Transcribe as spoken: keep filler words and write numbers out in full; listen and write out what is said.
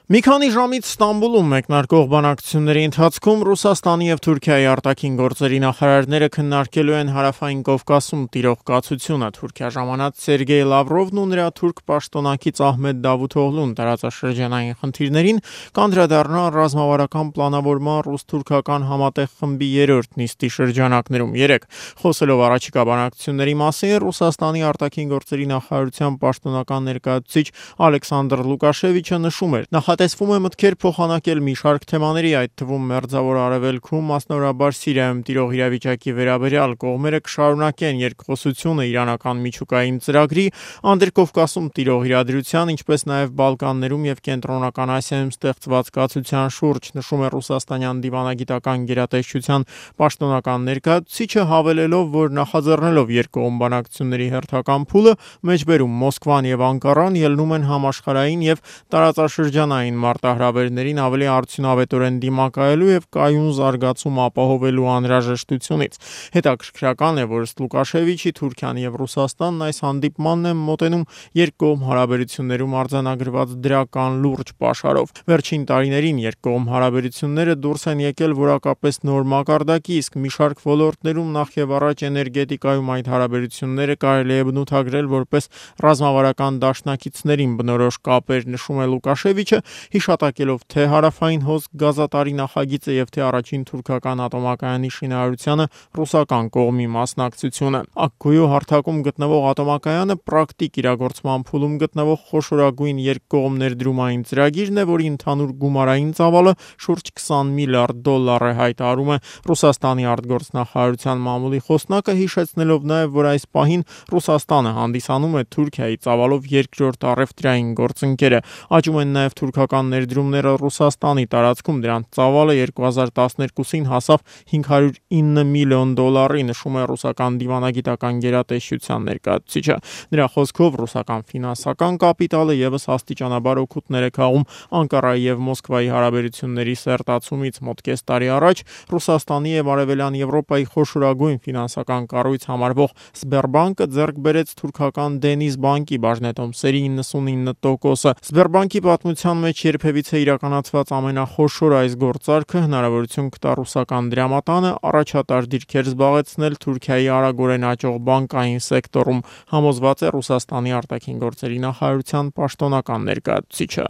Մի քանի ժամից Ստամբուլում մեկնարկող բանակցությունների ընթացքում Ռուսաստանի և Թուրքիայի արտաքին գործերի նախարարները քննարկելու են Հարավային Կովկասում տիրող կացությունը։ Թուրքիա ժամանած Սերգեյ Լավրովն ու նրա թուրք պաշտոնակից Ահմեդ Դավութօղլուն տարածաշրջանային խնդիրներին կանդրադառնան ռազմավարական պլանավորման ռուս-թուրքական համատեղ խմբի երրորդ նիստի շրջանակներում երեկ։ Խոսելով առաջիկա բանակցությունների մասին, Ռուսաստանի արտաքին գործերի նախարարության պաշտոնական ներկայացուցիչ Ալեքսանդր Լուկաշևիչը նշում էր. Նախատեսվում է մտքեր փոխանակել մի շարք թեմաների, այդ թվում Մերձավոր Արևելքում, մասնավորաբար Սիրիայում տիրող իրավիճակի վերաբերյալ։ Կողմերը կշարունակեն երկխոսությունը իրանական միջուկային ծրագրի, Անդրկովկասում տիրող իրադրության, ինչպես նաև Բալկաններում և Կենտրոնական Ասիայում ստեղծված կացության շուրջ, նշում է ռուսաստանյան դիվանագիտական գերատեսչության պաշտոնական ներկայացուցիչը, հավելելով, որ նախաձեռնելով երկկողմ բանակցությունների հերթական փուլը, մեջբերում Մոսկվան և Անկարան ելնում են համաշխարհային և տարածաշրջանային մարտահրավերներին ավելի արդյունավետորեն դիմակայելու և կայուն զարգացում ապահովելու անհրաժեշտությունից։ Հետաքրքրական է, որ ըստ Լուկաշևիչի Թուրքիան և Ռուսաստանն այս հանդիպմանն են մոտենում երկկողմ հարաբերություններում արձանագրված դրական լուրջ պաշարով։ Վերջին տարիներին երկկողմ հարաբերությունները դուրս են եկել որակապես նոր մակարդակի, իսկ մի շարք ոլորտներում, նախևառաջ էներգետիկայում, այդ հարաբերությունները կարելի է բնութագրել որպես ռազմավարական դաշնակիցներին բնորոշ կապեր, նշում է Լուկաշևիչը, հիշատակելով թե Հարավային հոսք գազատարի նախագիծը և թե առաջին թուրքական ատոմակայանի շինարարությանը ռուսական կողմի մասնակցությունը։ Աքքույու հարթակում գտնվող ատոմակայանը պրակտիկ իրագործման փուլում գտնվող խոշորագույն երկկողմ ներդրումային ծրագիրն է, որի ընդհանուր գումարային ծավալը շուրջ քսան միլիարդ դոլար է, հայտարարում է Ռուսաստանի արտգործնախարարության մամուլի խոսնակը, հիշեցնելով նաև, որ այս պահին Ռուսաստանը հանդիսանում է Թուրքիայի ծավալով երկրորդ առևտրային գործընկերը։ Աճում են նաև թուրքական ներդրումները Ռուսաստանի տարածքում, դրանց ծավալը երկու հազար տասներկուսին հասավ հինգ հարյուր ինը միլիոն դոլարի, նշում է ռուսական դիվանագիտական գերատեսչության ներկայացուցիչը։ Նրա խոսքով ռուսական ֆինանսական կապիտալը ևս աստիճանաբար օգուտներ է քաղում Անկարայի և Մոսկվայի հարաբերությունների սերտացումից։ Մոտ կես տարի առաջ Ռուսաստանի և Արևելյան Եվրոպայի խոշորագույն ֆինանսական կառույց համարվող Սբերբանկը ձեռք բերեց թուրքական Դենիզ բանկի բաժնետոմսերի իննսունինը տոկոսը։ Սբերբանկի պատմության մեջ երբևիցե իրականացված ամենախոշոր այս գործարքը հնարավորություն կտա ռուսական դրամատանը առաջատար դիրքեր զբաղեցնել Թուրքիայի արագորեն աճող բանկային սեկտորում, համոզված է Ռուսաստանի արտաքին գործերի նախարարության պաշտոնական ներկայացուցիչը։